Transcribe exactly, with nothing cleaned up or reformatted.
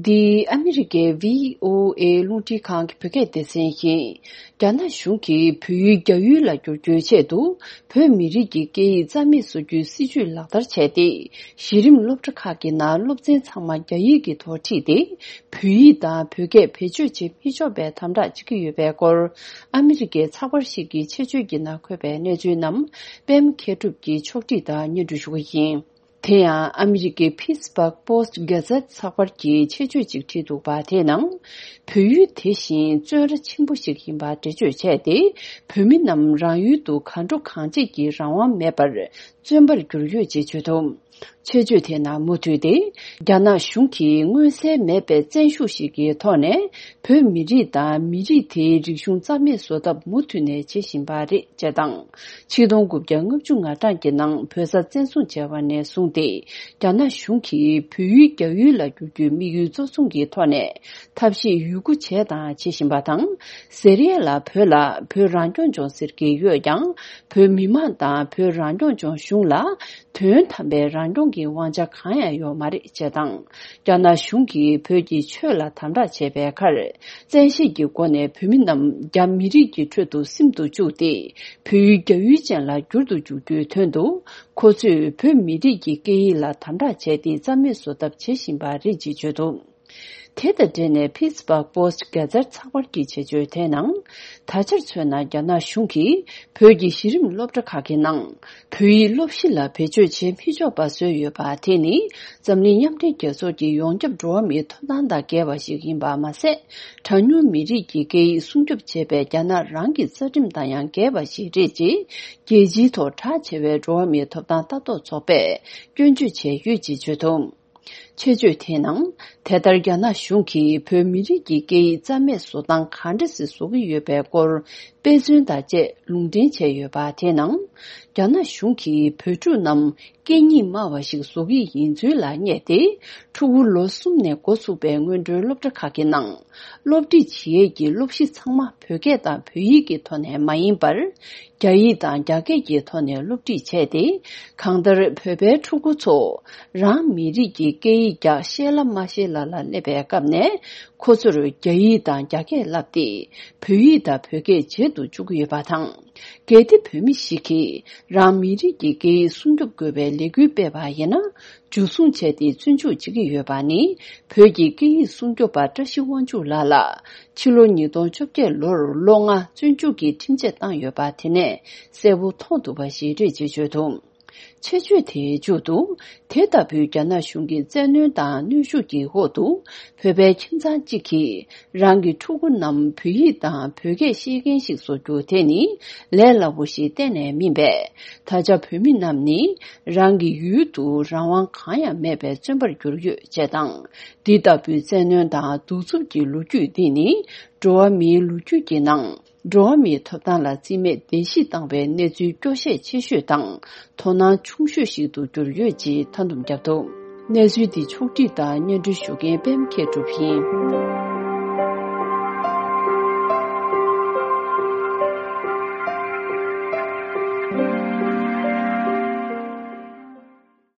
འདི་ཨ་མི་རི་ཀའི་བྷི་ཨོ་ཨེ་རླུང་འཕྲིན་ཁང་གི་བོད་སྐད་སྡེ་ཚན་ཡིན། རྒྱ་ནག་གཞུང་གིས་བོད་ཡིག་རྒྱ་ཡུལ་ལ་བསྒྱུར་རྒྱུའི་ཆེད་དུ། བོད་མི་རིགས་ཀྱི་སྐད་ཡིག་རྩ་མེད་བཟོ་རྒྱུའི་སྲིད་ཇུས་ལག་བསྟར་བྱས་ཏེ། གཞི་རིམ་སློབ་གྲྭ་ཁག་གི་ནང་སློབ་ཚན་ཚང་མ་རྒྱ་ཡིག་གི་ཐོག་ཁྲིད་དེ། བོད་ཡིག་དང་བོད་སྐད་བེད་སྤྱོད་བྱེད་མི་ཆོག་པའི་དམ་དྲག་བྱེད་ཀྱི་ཡོད་པའི་སྐོར། ཨ་མི་རི་ཀའི་ཚགས་པར་ཞིག་གི་ཆེད་བརྗོད་ཀྱི་ནང་འཁོད་པའི་གནས་ཚུལ་རྣམས། པད་མ་མཁས་གྲུབ་ཀྱིས་ཕྱོགས་སྒྲིག་དང་སྙན་སྒྲོན་ཞུ་གི་ཡིན། དེ་ཡང་ཨ་མི་རི་ཀའི་Pittsburgh Post Gazette ཚགས་པར་གྱིས་ཆེད་བརྗོད་ཅིག་བྲིས་འདུག་པ། དེའི་ནང་། བོད་ཡུལ་དེ་བཞིན་བཙོན་ར་ཆེན་པོ་ཞིག་ཡིན་པ་འགྲེལ་བརྗོད་བྱས་ཏེ། བོད་མི་རྣམས་རང་ཡུལ་དུ་གང་འགྲོ་གང་བྱེད་ཀྱི་རང་དབང་མེད་པར། བཙོན་པར་གྱུར་ཡོད་ཅེས་བརྗོད་འདུག་ཆེད་བརྗོད་དེའི་ནང་མུ་མཐུད་དེ། རྒྱ་ནག་གཞུང་གིས་མངོན་གསལ་མེད་པའི་བཙན་ཤུགས་ཤིག་གི་ཐོག་ནས། བོད་མི་རིགས་དང་མི་རིགས་དེའི་རིག་གཞུང་རྩ་མེད་བཟོ་ཐབས་མུ་མཐུད་ནས་བྱེད་བཞིན་པ་རེད། ཅེས་དང་། ཆིག་སྟོང་དགུ་བརྒྱ་ལྔ་བཅུ་ང་གྲངས་ཀྱི་ནང་བོད་ས་བཙན་བཟུང་བྱས་པ་ནས་བཟུང་སྟེ། རྒྱ་ནག་གཞུང་གིས་བོད་ཡིག་རྒྱ་ཡུལ་ལ་བསྒྱུར་རྒྱུའི་དམིགས་ཡུལ་གཙོ་བཟུང་གི་ཐོག་ནས། ཐབས་ཤེས་ཡོད་རྒུ་བྱས་དང་བྱེད་བཞིན་པ་དང་། ཟེར་ཡས་ལ་བོད་ལ་བོད་རང་སྐྱོང་ལྗོངས་ཟེར་གྱི་ཡོད་ཀྱང་། བོད་མི་མང་དང་བོད་རང་སྐྱོང་ལྗོངས་གཞུང་ལ། དོན་དམ་པའི་རང་སྐྱོང་གི་དབང་ཆ་གང་ཡང་ཡོད་མ་རེད། ཅེས་དང་། རྒྱ་ནག་གཞུང་གིས་བོད་ཀྱི་ཆོས་ལ་དམ་དྲག་བྱས་པའི་ཁར། བཙན་ཤེད་ཀྱི་སྒོ་ནས་བོད་མི་རྣམས་རྒྱ་མི་རིགས་ཀྱི་ཁྲོད་དུ་སིམ་དུ་བཅུག་སྟེ། བོད་ཡུལ་རྒྱ་ཡུལ་ཅན་ལ་བསྒྱུར་དུ་འཇུག་རྒྱུའི་དོན་དུ། ཁོ་ཚོས་བོད་མི་རིགས་ཀྱི་སྐད་ཡིག་ལ་དམ་དྲག་བྱས་ཏེ། རྩ་མེད་བཟོ་ཐབས་བྱེད་བཞིན་པ་རེད་ཅེས་བརྗོད་འདུག་དེ་དང་འབྲེལ་ནས་Pittsburgh Post Gazette ཚགས་པར་གྱི་ཆེད་བརྗོད་དེའི་ནང་། ད་ཆར་མཚོན་ན། རྒྱ་ནག་གཞུང་གིས་བོད་ཀྱི་གཞི་རིམ་སློབ་གྲྭ་ཁག་གི་ནང་། བོད་ཡིག་སློབ་གཞི་ལ་བེད་སྤྱོད་བྱེད་མི་ཆོག་པ་བཟོས་ཡོད་པ། དེ་ནི་འཛམ་གླིང་མཉམ་འབྲེལ་རྒྱལ་ཚོགས་ཀྱི་ཡོངས་ཁྱབ་འགྲོ་བ་མིའི་ཐོབ་ཐང་དང་འགལ་བ་ཞིག་ཡིན་པ་མ་ཟད། གྲངས་ཉུང་མི་རིགས་ཀྱི་སྐད་ཡིག་སྲུང་སྐྱོབ་བྱེད་པའི་རྒྱ་ནག་རང་གི་རྩ་ཁྲིམས་དང་ཡང་འགལ་བ་ཞིག་རེད་ཅེས། རྒྱལ་སྤྱིའི་ཐོག་གྲགས་ཆེ་བའི་འགྲོ་བ་མིའི་ཐོབ་ཐང་ལྟ་རྟོག་ཚོགས་པས་སྐྱོན་བརྗོད་བྱས་ཡོད་ཅེས་བརྗོད་འདུག་ཆེད་བརྗོད་དེའི་ནང་། དེ་ལྟར་རྒྱ་ནག་གཞུང་གིས་བོད་མི་རིགས་ཀྱི་སྐད་ཡིག་རྩ་མེད་བཟོ་སྟངས་ག་འདྲ་ཞིག་བཟོ་གི་ཡོད་པའི་སྐོར། དཔེ་མཚོན་དང་བཅས་ལུང་འདྲེན་བྱས་ཡོད་པ། དེའི་ནང་། རྒྱ་ནག་གཞུང་གིས་བོད་ཕྲུག་རྣམས་སྐད་གཉིས་སྨྲ་བ་ཞིག་བཟོ་གི་ཡིན་ཚུལ་ལ་བསྙད་དེ། ཕྲུ་གུ་ལོ་གསུམ་ནས་འགོ་ཚུགས་པའི་སྔོན་འགྲོའི་སློབ་གྲྭ་ཁག་གི་ནང་། སློབ་ཁྲིད་བྱེད་ཡས་ཀྱི་སློབ་གཞི་ཚང་མ་བོད་སྐད་དང་བོད་ཡིག་གི་ཐོག་ནས་མ་ཡིན་པར། རྒྱ་ཡིག་དང་རྒྱ་སྐད་ཀྱི་ཐོག་ནས་སློབ་ཁྲིད་བྱས་ཏེ། གང་ལྟར་བོད་པའི་ཕྲུ་གུ་ཚོ་རང་མི་རིགས་ཀྱི་སྐད་ཡིག་རྒྱག་ཤེས་ལ་མ་ཤེས་ལ་ལ་སླེབས་པའི་སྐབས་ནས། ཁོ་ཚོར་རྒྱ་ཡིག་དང་རྒྱ་སྐད་བསླབས་ཏེ། བོད་ཡིག་དང་བོད་སྐད་བརྗེད་དུ་བཅུག་གི་ཡོད་པ་དང་། གལ་ཏེ་བོད་མི་ཞིག་གིས་རང་མི་རིགས་ཀྱི་སྐད་ཡིག་སྲུང་སྐྱོབ་དགོས་པའི་ལས་འགུལ་སྤེལ་བ་ཡིན་ན། འཇུ་བཟུང་བྱས་ཏེ་བཙོན་འཇུག་བྱེད་ཀྱི་ཡོད་པ་ནི། བོད་ཀྱི་སྐད་ཡིག་སྲུང་སྐྱོབ་པ་བཀྲ་ཤིས་དབང་ཕྱུག་ལགས་ལ། ཕྱི་ལོ་ཉིས་སྟོང་བཅོ་བརྒྱད་ལོར་ལོ་ལྔ་བཙོན་འཇུག་གི་ཁྲིམས་ཆད་བཏང་ཡོད་པ། དེ་ནས་གསལ་པོ་མཐོང་ཐུབ་པ་ཞིག་རེད་ཅེས་བརྗོད་འདུག་ཆེད་བརྗོད་དེའི་མཇུག་ཏུ། དེ་ལྟ་བུའི་རྒྱ་ནག་གཞུང་གི་བཙན་གནོན་དང་གནོན་ཤུགས་ཀྱི་འོག་ཏུ། བོད་པའི་ཁྱིམ་ཚང་གཅིག་གིས། རང་གི་ཕྲུ་གུ་རྣམས་བོད་ཡིག་དང་བོད་སྐད་ཤེས་མཁན་ཞིག་བཟོ་རྒྱུ་དེ་ནི་ལས་སླ་པོ་ཞིག་གཏན་ནས་མིན་པས། ད་ཆ་བོད་མི་རྣམས་ནི་རང་གི་ཡུལ་དུ་རང་དབང་གང་ཡང་མེད་པའི་བཙོན་པར་གྱུར་ཡོད་ཅེས་དང་། འདི་ལྟ་བུའི་བཙན་གནོན་དང་གདུག་རྩུབ་ཀྱི་ལོ་རྒྱུས་འདི་ནི་འགྲོ་བ་མིའི་ལོ་རྒྱུས་ཀྱི་ནང་འགྲོ་བ་མིའི་ཐོབ་ཐང་ལ་རྩིས་མེད་བརྡལ་བཤིག་བཏང་བའི་གནས་ཚུལ་སྐྱོ་ཤས་ཆེ་ཤོས་དང་དོ་སྣང་ཆུང་ཤོས་ཤིག་ཏུ་གྱུར་ཡོད་ཅེས་མཐའ་སྡོམ་བརྒྱབ་འདུག་གནས་ཚུལ་འདི་ཕྱོགས་བསྒྲིགས་དང་སྙན་སྒྲོན་ཞུ་མཁན་པད་མ་མཁས་གྲུབ་ཡིན།